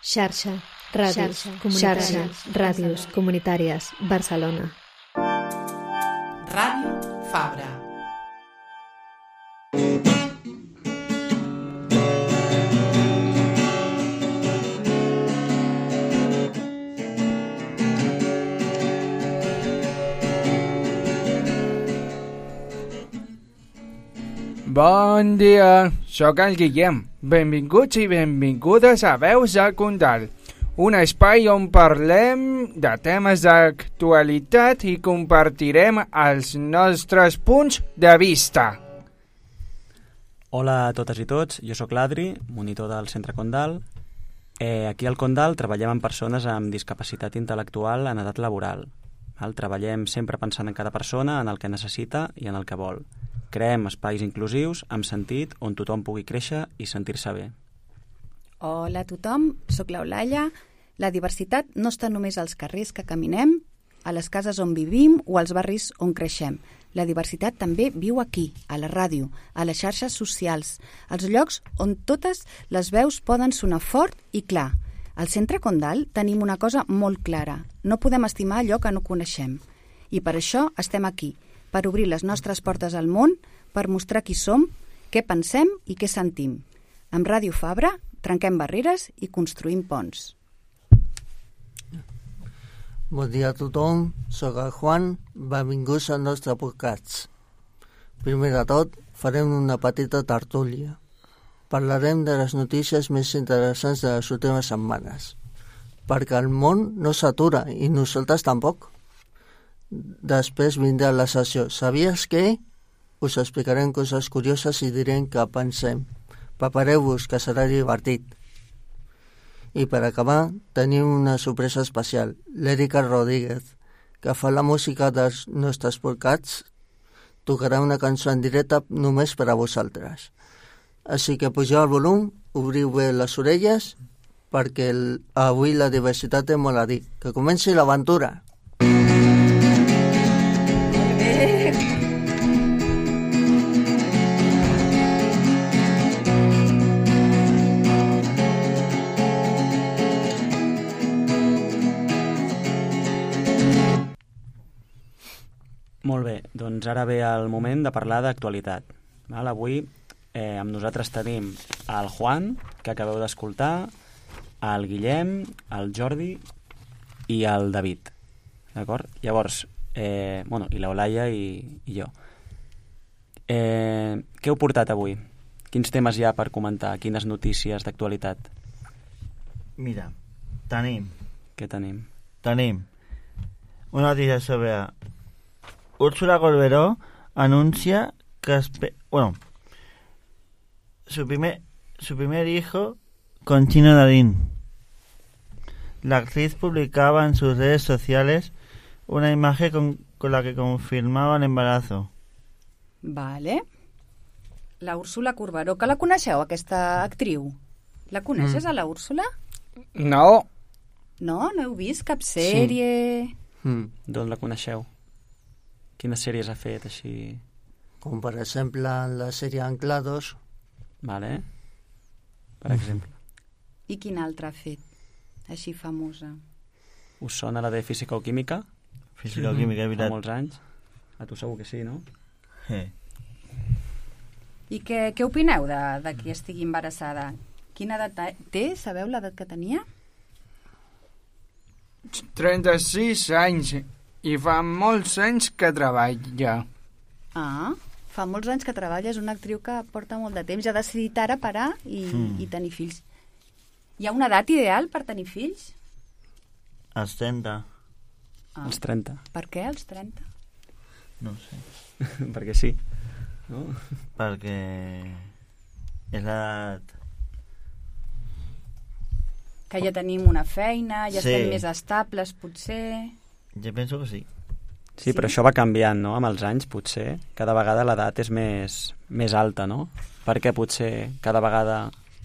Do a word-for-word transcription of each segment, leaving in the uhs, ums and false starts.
Xarxa, ràdios, comunitàries, ràdios comunitàries, Barcelona. Ràdio Fabra. Bon dia, sóc el Guillem. Benvinguts i benvingudes a Veus del Condal, un espai on parlem de temes d'actualitat i compartirem els nostres punts de vista. Hola a totes i tots, jo sóc l'Adri, monitor del Centre Condal. Eh, aquí al Condal treballem amb persones amb discapacitat intel·lectual en edat laboral. Val? Treballem sempre pensant en cada persona, en el que necessita i en el que vol. Creem espais inclusius, amb sentit, on tothom pugui créixer i sentir-se bé. Hola a tothom, sóc l'Eulàlia. La diversitat no està només als carrers que caminem, a les cases on vivim o als barris on creixem. La diversitat també viu aquí, a la ràdio, a les xarxes socials, als llocs on totes les veus poden sonar fort i clar. Al Centre Condal tenim una cosa molt clara. No podem estimar allò que no coneixem. I per això estem aquí, per obrir les nostres portes al món, per mostrar qui som, què pensem i què sentim. Amb Ràdio Fabra trenquem barreres i construïm ponts. Bon dia a tothom, sóc el Juan, benvinguts al nostre podcast. Primer de tot, farem una petita tertúlia. Parlarem de les notícies més interessants de les últimes setmanes, perquè el món no s'atura i nosaltres tampoc. Després vindrà la sessió. Sabies què? Us explicarem coses curioses i direm què pensem. Prepareu-vos, que serà divertit. I per acabar, tenim una sorpresa especial. L'Erika Rodríguez, que fa la música dels nostres podcasts, tocarà una cançó en directe només per a vosaltres. Així que pugeu el volum, obriu bé les orelles, perquè el, avui la diversitat té molt a dir. Que comenci l'aventura! Molt bé, doncs ara ve el moment de parlar d'actualitat. Val? Avui eh, amb nosaltres tenim el Juan, que acabeu d'escoltar, el Guillem, el Jordi i el David. D'acord? Llavors, eh, bueno, i l'Eulàlia i, i jo. Eh, què heu portat avui? Quins temes hi ha per comentar? Quines notícies d'actualitat? Mira, tenim... Què tenim? Tenim una notícia sobre... Úrsula Corberó anuncia que... Espe- bueno, su primer, su primer hijo con Chino Darín. La actriz publicaba en sus redes sociales una imagen con, con la que confirmaba el embarazo. Vale. La Úrsula Corberó, que la coneixeu, aquesta actriu? La coneixes, mm. a la Úrsula? No. No? No heu vist cap sèrie? Sí. Mm. D'on la coneixeu? Quines sèries ha fet, així? Com per exemple la sèrie Anclados. Vale. Per exemple. I quina altra ha fet, així famosa? Us sona la de Física o Química? Física o Química, és Fa veritat. molts anys. A tu segur que sí, no? Sí. I què, què opineu de, de qui estigui embarassada? Quina edat té? Sabeu l'edat que tenia? trenta-sis anys i fa molts anys que treballa. Ah, fa molts anys que treballa, és una actriu que porta molt de temps, ja ha decidit ara parar i, mm. i tenir fills. Hi ha una edat ideal per tenir fills? Els trenta. Ah. Els trenta. Per què els trenta? No sé. Perquè sí. No? Perquè és l'edat... Que ja tenim una feina, ja Sí. estem més estables, potser... Jo penso que sí. Sí, però això va canviant, no? Amb els anys, potser. Cada vegada l'edat és més, més alta, no? Perquè potser cada vegada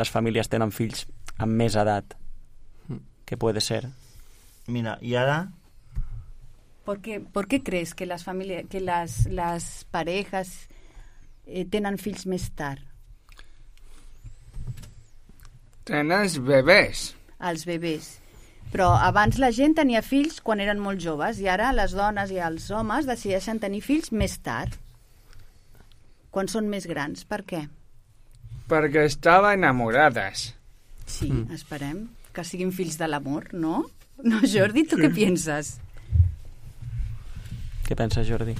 les famílies tenen fills amb més edat. Què puede ser? Mira, i ara... ¿Por qué, ¿Por qué crees que las familias, que las, las parejas eh, tenen fills més tard? Tenen bebès. als bebès. Però abans la gent tenia fills quan eren molt joves i ara les dones i els homes decideixen tenir fills més tard, quan són més grans. Per què? Perquè estava enamorades. Sí, mm. esperem que siguin fills de l'amor, no? No, Jordi, tu sí. Què penses? Què penses, Jordi?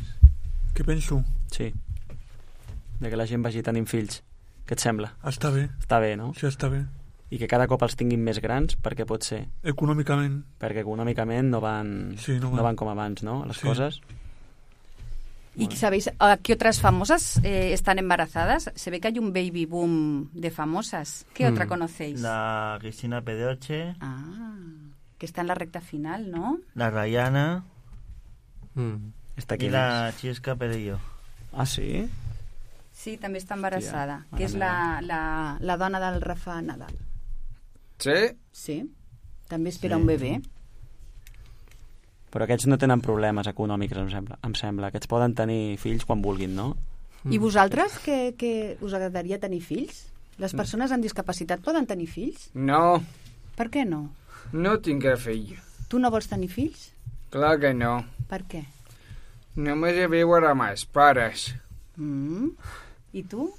Què penso? Sí. De que la gent vagi tenint fills. Què et sembla? Està bé. Està bé, no? Sí, està bé. I que cada cop els tinguin més grans, per què pot ser? Econòmicament. Perquè econòmicament no van, sí, no, van. no van com abans, ¿no? Las sí. cosas. ¿Y bueno. sabéis a qué otras famosas eh, están embarazadas? Se ve que hay un baby boom de famosas. ¿Qué mm. otra conocéis? La Cristina Pedroche. Ah, que está en la recta final, ¿no? La Rayana. Mm. Esta y la Chisca Perillo. Ah, sí? Sí, també està embarassada, Hòstia, que és la, la, la dona del Rafa Nadal. Sí? Sí, també espera sí. un bebè. Però aquests no tenen problemes econòmics, em sembla. Em sembla. Aquests poden tenir fills quan vulguin, no? Mm. I vosaltres, que, que us agradaria tenir fills? Les persones amb discapacitat poden tenir fills? No. Per què no? No tinc fill. Tu no vols tenir fills? Clar que no. Per què? Només he viure amb els pares. Mm. ¿Y tú,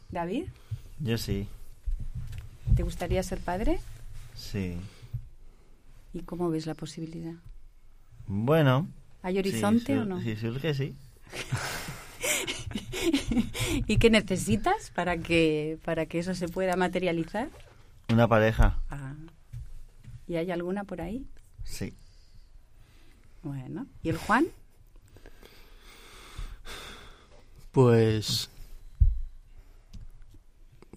David? Yo sí. ¿Te gustaría ser padre? Sí. ¿Y cómo ves la posibilidad? Bueno. ¿Hay horizonte sí, o no? Sí, surge, sí. ¿Y qué necesitas para que, para que eso se pueda materializar? Una pareja. Ah. ¿Y hay alguna por ahí? Sí. Bueno. ¿Y el Juan? Pues...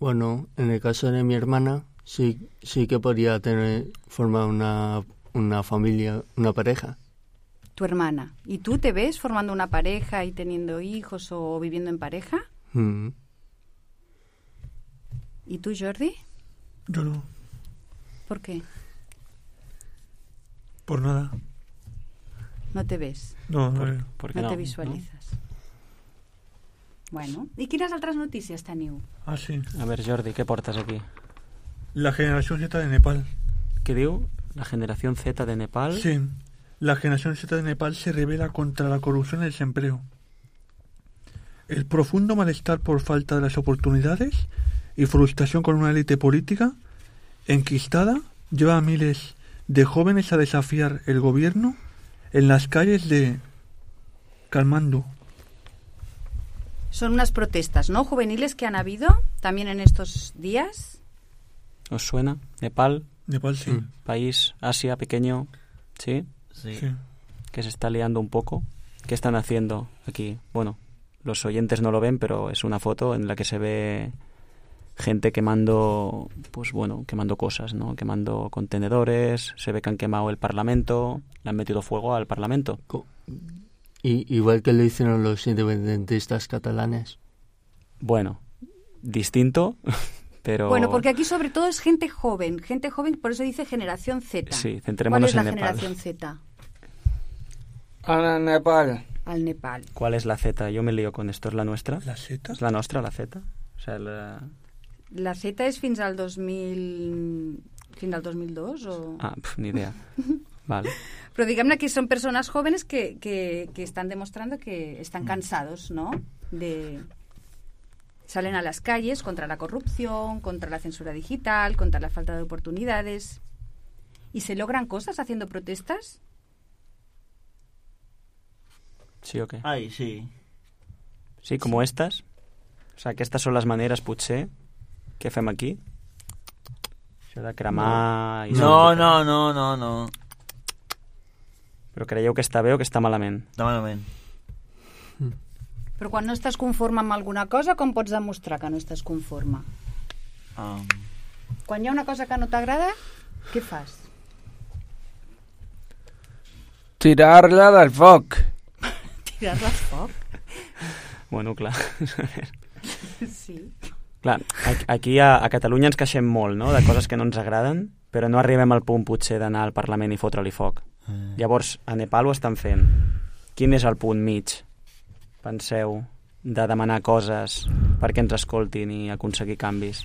Bueno, en el caso de mi hermana, sí, sí que podría tener, formar una, una familia, una pareja. Tu hermana. ¿Y tú te ves formando una pareja y teniendo hijos o viviendo en pareja? Mm. ¿Y tú, Jordi? Yo no. ¿Por qué? Por nada. ¿No te ves? No, no, ¿Por, ¿por qué no, no te visualizas. ¿No? Bueno, i quines altres notícies teniu? Ah, sí. A ver, Jordi, què portes aquí? La generación Z de Nepal. ¿Qué diu? La generación Z de Nepal. Sí. La generación Z de Nepal se revela contra la corrupción y el desempleo. El profundo malestar por falta de las oportunidades y frustración con una élite política enquistada lleva a miles de jóvenes a desafiar el gobierno en las calles de Kalmandú. Son unas protestas, ¿no? Juveniles que han habido también en estos días. ¿Os suena? Nepal. Nepal, sí. Mm. País, Asia, pequeño. ¿Sí? Sí. Sí. Que se está liando un poco. ¿Qué están haciendo aquí? Bueno, los oyentes no lo ven, pero es una foto en la que se ve gente quemando, pues bueno, quemando cosas, ¿no? Quemando contenedores, se ve que han quemado el Parlamento, le han metido fuego al Parlamento. Co- Y, igual que lo hicieron los independentistas catalanes. Bueno, distinto, pero... Bueno, porque aquí sobre todo es gente joven, gente joven, por eso dice generación Z. Sí, centrémonos en Nepal. ¿Cuál es la Nepal. generación Z? Al Nepal. Al Nepal. ¿Cuál es la Z? Yo me lío con esto. ¿Es la nuestra? ¿La Z? ¿Es la nuestra, la Z? O sea, la... La Z és fins al dos mil... fins al dos mil dos o...? Ah, pf, ni idea. Vale. Pero digamos que son personas jóvenes que, que, que están demostrando que están cansados, ¿no? De... Salen a las calles contra la corrupción, contra la censura digital, contra la falta de oportunidades. ¿Y se logran cosas haciendo protestas? ¿Sí o qué? Ay, sí. Sí, como estas. O sea, que estas són les maneres, potser, que fem aquí. Això de cremar... No, i no, no, no, no, no. Però creieu que està bé o que està malament? Està malament. Però quan no estàs conforme amb alguna cosa, com pots demostrar que no estàs conforme? Um, Quan hi ha una cosa que no t'agrada, què fas? Tirar-la del foc. Tirar-la al foc? Bueno, clar. Sí. Clar, aquí a, a Catalunya ens queixem molt, no?, de coses que no ens agraden, però no arribem al punt, potser, d'anar al Parlament i fotre-li foc. Mm. Llavors, a Nepal ho estan fent. Quin és el punt mig, penseu, de demanar coses perquè ens escoltin i aconseguir canvis?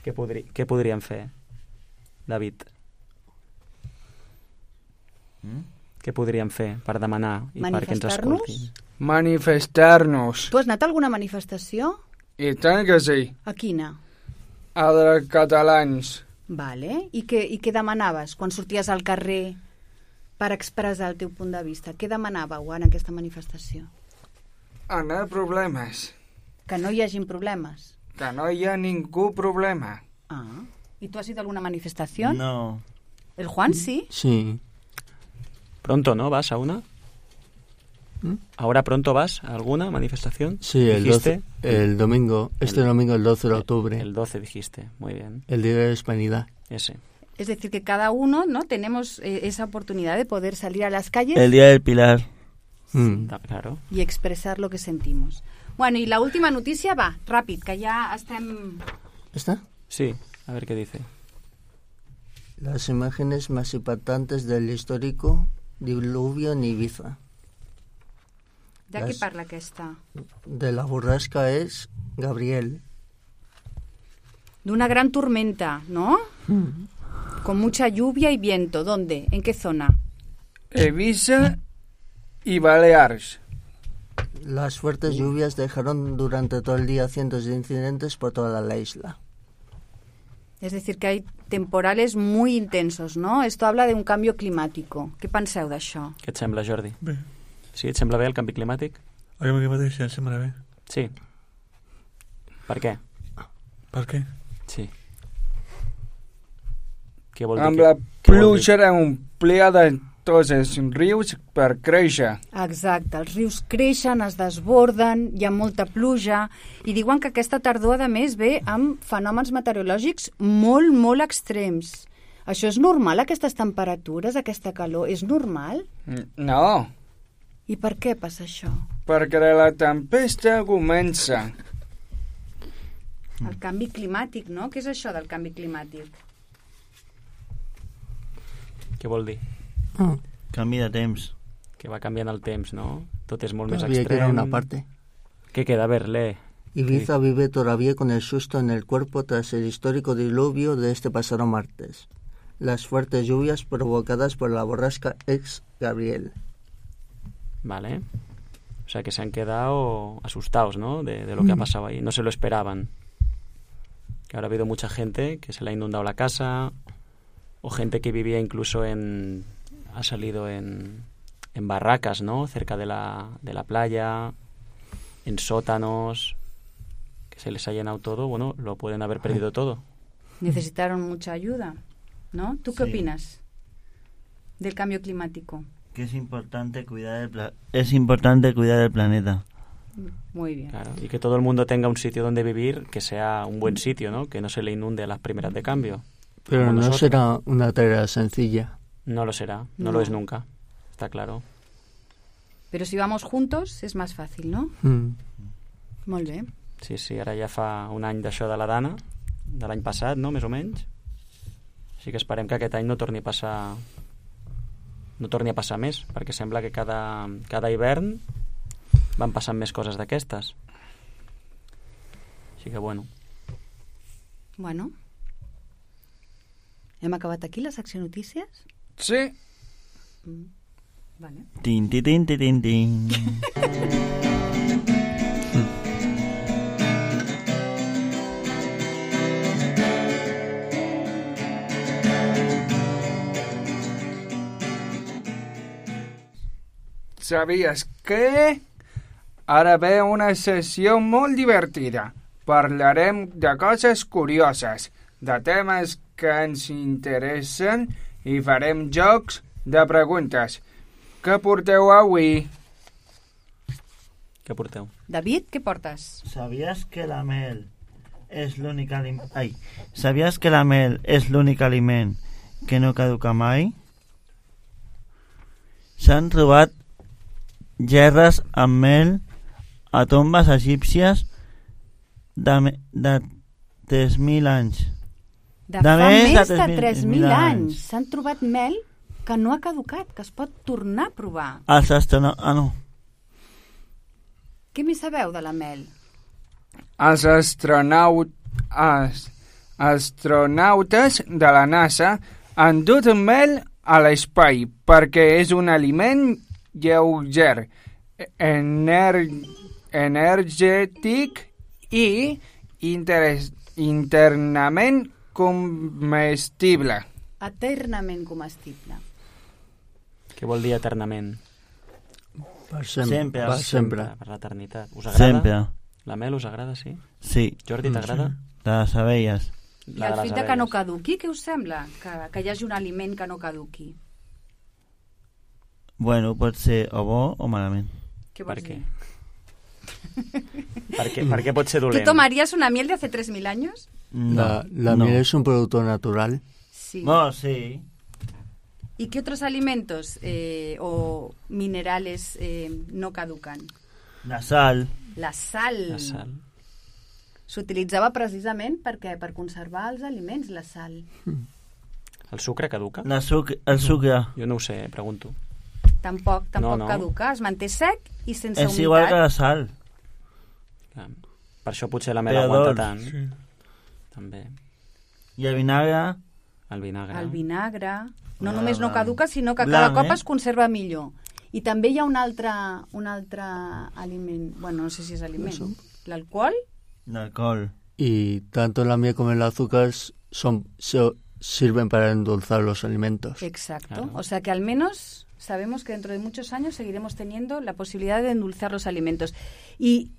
Què, podri, què podríem fer? David? Mm? Què podríem fer per demanar i perquè ens Manifestar-nos? escoltin? Manifestar-nos. Tu has anat a alguna manifestació? I tant que sí. A quina? A dels catalans. Vale. I què, i què demanaves quan sorties al carrer per expressar el teu punt de vista? Què demanàveu en aquesta manifestació? Anar problemes. Que no hi hagin problemes. Que no hi ha ningú problema. Ah. ¿Y tú has ido a alguna manifestación? No. ¿El Juan sí? Sí. Pronto, ¿no? ¿Vas a una? ¿Mm? ¿Ahora pronto vas a alguna manifestación? Sí, el, ¿Dijiste? doce, el domingo, este El- domingo el doce de octubre, El doce dijiste, muy bien. el Día de la Hispanidad. Ese. Es decir, que cada uno, ¿no? Tenemos eh, esa oportunidad de poder salir a las calles El Día del Pilar. Mm. Ta- Claro. y expresar lo que sentimos. Bueno, y la última noticia va, ràpid, que ja estem... ¿Está? Sí, a ver qué dice. Las imágenes más impactantes del histórico diluvio en Ibiza. De què Las- parla aquesta? De la borrasca es Gabriel. De una gran tormenta, ¿no? Con mucha lluvia y viento. ¿Dónde? ¿En qué zona? Ibiza y Baleares. Las fuertes lluvias dejaron durante todo el día cientos de incidentes por toda la isla. Es decir, que hay temporales muy intensos, ¿no? Esto habla de un cambio climático. Què penseu d'això? Què et sembla, Jordi? Bé, Sí, et sembla bé el canvi climàtic? el canvi climàtic sí, em sembla bé. Sí. Per què? Per què? Sí. Què vol dir? Amb que- la què vol dir? pluja omplia de tots els rius per créixer. Exacte, els rius creixen, es desborden, hi ha molta pluja, i diuen que aquesta tardor, a més, ve amb fenòmens meteorològics molt, molt extrems. Això és normal, aquestes temperatures, aquesta calor? És normal? No, I per què passa això? perquè la tempesta comença. El canvi climàtic, no? Què és això del canvi climàtic? Què vol dir? Ah, Canvi de temps. Que va canviant el temps, no? Tot és molt més todavía extrem. queda una parte. Què queda? A ver, lee. Ibiza vive todavía con el susto en el cuerpo tras el histórico diluvio de este pasado martes. Las fuertes lluvias provocadas por la borrasca ex Gabriel. Vale. O sea, que se han quedado asustados, ¿no? De, de lo que ha Mm. pasado ahí. No se lo esperaban. Que ahora ha habido mucha gente que se le ha inundado la casa, o gente que vivía incluso en... ha salido en, en barracas, ¿no? Cerca de la, de la playa, en sótanos, que se les ha llenado todo. Bueno, lo pueden haber perdido todo. Necesitaron mucha ayuda, ¿no? ¿Tú qué Sí. opinas del cambio climático? Que es importante cuidar el pla- es importante cuidar el planeta. Muy bien. Claro. Y que todo el mundo tenga un sitio donde vivir, que sea un buen sitio, ¿no? Que no se le inunde a las primeras de cambio. Pero Como no nosotros. será una tarea sencilla. No lo será, no, No. lo es nunca. Está claro. Pero si vamos juntos es más fácil, ¿no? Mm. Molt bé. Sí, sí, ara ja fa un any d'això de la Dana, de l'any passat, no?, més o menys. Així que esperem que aquest any no torni a passar no torni a passar més, perquè sembla que cada, cada hivern van passant més coses d'aquestes. Així que, bueno, Bueno. Hem acabat aquí la secció notícies? Sí, Mm. Vale. Tin, tin, tin, tin, tin, tin. sabies que... Ara ve una sessió molt divertida. Parlarem de coses curioses, de temes que ens interessen i farem jocs de preguntes. Què porteu avui? què porteu? David, què portes? ¿Sabías que la mel es l'únic aliment... Ai, ¿sabías que la mel és l'únic aliment que no caduca mai? S'han trobat gerres amb mel a tombes egípcies de, me- de tres mil anys. De, De fa més de més de tres tres mil mil anys. anys. S'han trobat mel que no ha caducat, que es pot tornar a provar. Els astronautes... Ah, no. Què més sabeu de la mel? Els astronautes, els astronautes de la NASA han dut mel a l'espai perquè és un aliment lleuger, ener energètic i interes internament comestible. Eternament comestible. Què vol dir eternament? Per sempre. Sempre. Per sempre. Per l'eternitat. Us agrada? Sempre. La mel us agrada, sí? Sí. Jordi, t'agrada? De les abelles. I el fet de que no caduqui, què us sembla? Que, que hi hagi un aliment que no caduqui. Bueno, pot ser o bo o malament. Què Per vols què? dir? Per què, per què pot ser ¿Tú dolent? tomarías una miel de hace tres mil años? No. La, la no. miel es un producto natural. Sí. No, sí. ¿Y qué otros alimentos eh, o minerales eh, no caducan? La sal. La sal. La sal. S'utilitzava precisament perquè per conservar els aliments, la sal. El sucre caduca? La suc el sucre. Jo no ho sé, pregunto. Tampoc, tampoc no. caduca, es manté sec i sense És humitat. igual que la sal. Clar. Per això potser la mel Però aguanta dolç, tant. Sí. També. I el vinagre... El vinagre. El vinagre. No Ah, només no blanc. caduca, sinó que Blanc, cada cop eh? es conserva millor. I també hi ha un altre, un altre aliment, bueno, no sé si és aliment, l'alcohol. L'alcohol. Y tanto la miel como el azúcar son, se- sirven para endulzar los alimentos. Exacto. Claro. O sea que al menos sabemos que dentro de muchos años seguiremos teniendo la posibilidad de endulzar los alimentos. Y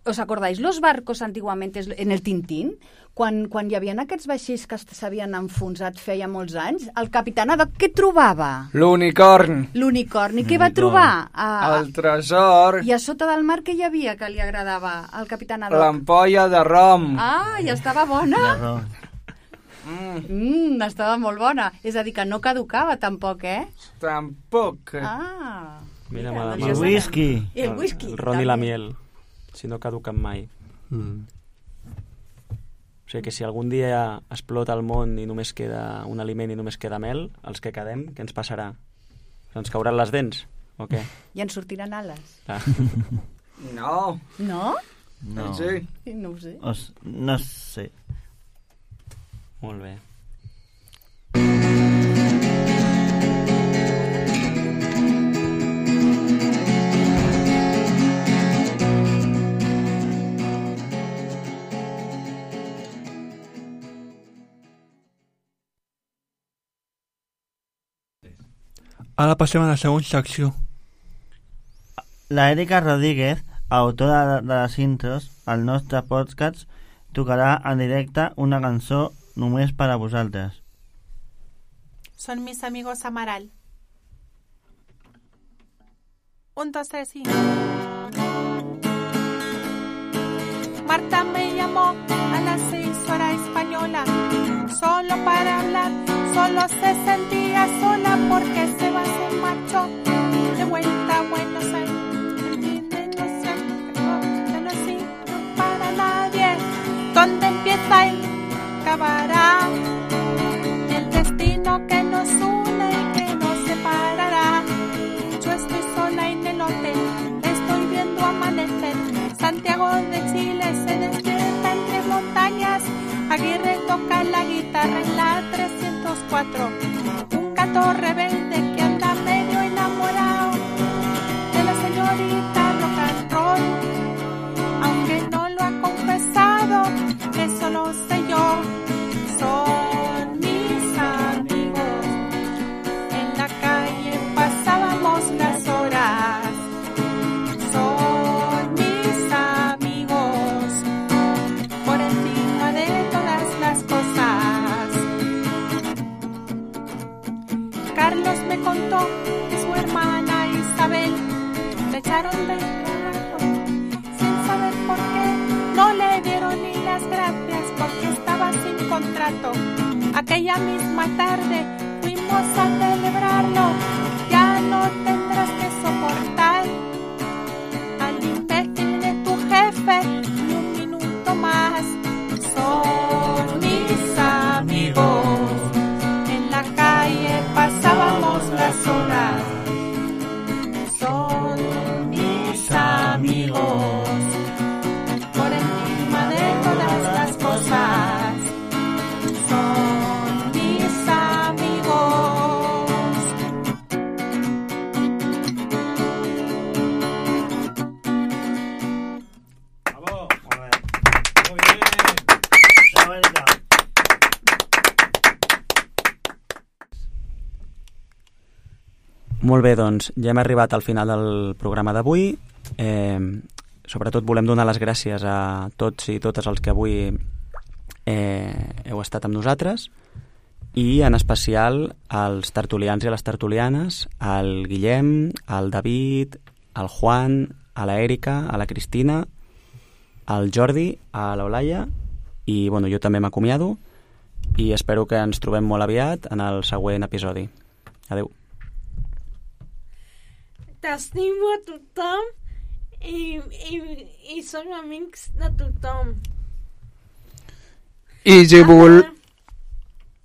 ¿os acordáis los barcos antiguamente en el Tintín? Quan, quan hi havia aquests vaixells que s'havien enfonsat feia molts anys, el capità Haddock què trobava? L'unicorn, L'unicorni. Què va trobar? A, el tresor, I a sota del mar què hi havia que li agradava al capità Haddock? l'ampolla de rom. Ah, i estava bona? L'arròs. Mm, estava molt bona. És a dir, que no caducava tampoc, eh? Tampoc. Ah. Mira, mira, mala doncs I ja el sabem. whisky. I el whisky. El ron i la també. miel. Si no caduquen mai. Mm. O sigui que si algun dia explota el món i només queda un aliment i només queda mel, els que quedem, què ens passarà? Ens cauran les dents? O què? I ens sortiran ales. Clar. No. No? No. Sí. No ho sé. Os, no sé. Molt bé. Ara passem a la següent secció. La Erika Rodríguez, autora de, de les intros, al nostre podcast, tocarà en directe una cançó només per a vosaltres. Son mis amigos Amaral. Un, dos, tres y... Marta me llamó a las seis hora española, solo para hablar, solo se sentía sola porque se va, se marchó de vuelta a Buenos Aires. No sé, no, no sirve para nadie, ¿dónde empieza y acabará? El destino que nos une y que nos separará. Yo estoy sola en el hotel, estoy viendo amanecer. Santiago de Chile se despierta entre montañas. Aguirre toca la guitarra en la trescientos cuatro. Un gato rebelde que anda medio enamorado de la señorita rock and roll. Aunque no lo ha confesado, eso lo sé yo. Son mis amigos. En la calle pasábamos las horas. Son mis amigos. Por encima de todas las cosas. Carlos me contó que su hermana Isabel le echaron del trabajo sin saber por qué. No le dieron ni las gracias porque estaba sin contrato. Aquella misma tarde fuimos a celebrarlo. Ya no tendrás que soportar al imbécil de tu jefe ni un minuto más. Son mis amigos. En la calle pasábamos las horas. Son mis amigos. Por encima de todas las cosas. Molt bé, doncs ja hem arribat al final del programa d'avui. Eh, sobretot volem donar les gràcies a tots i totes els que avui eh, heu estat amb nosaltres i en especial als tertulians i a les tertulianes, al Guillem, al David, al Juan, a la Èrica, a la Cristina, al Jordi, a l'Eulàlia i bueno, jo també m'acomiado i espero que ens trobem molt aviat en el següent episodi. Adeu. T'estimo a tothom i, i, i som amics de tothom. I si, vol...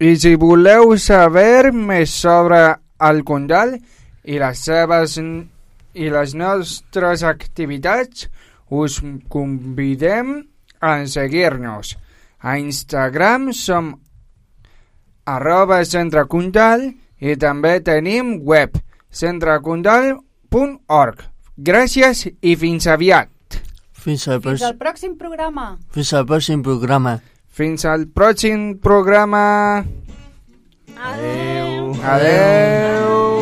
I si voleu saber més sobre el Condal i les seves i les nostres activitats, us convidem a seguir-nos. A Instagram som arroba Centre Condal i també tenim web centrecondal punt org. Gràcies i fins aviat. Fins al, fins al pròxim programa. Fins al pròxim programa. Fins al pròxim programa. Adeu. Adeu.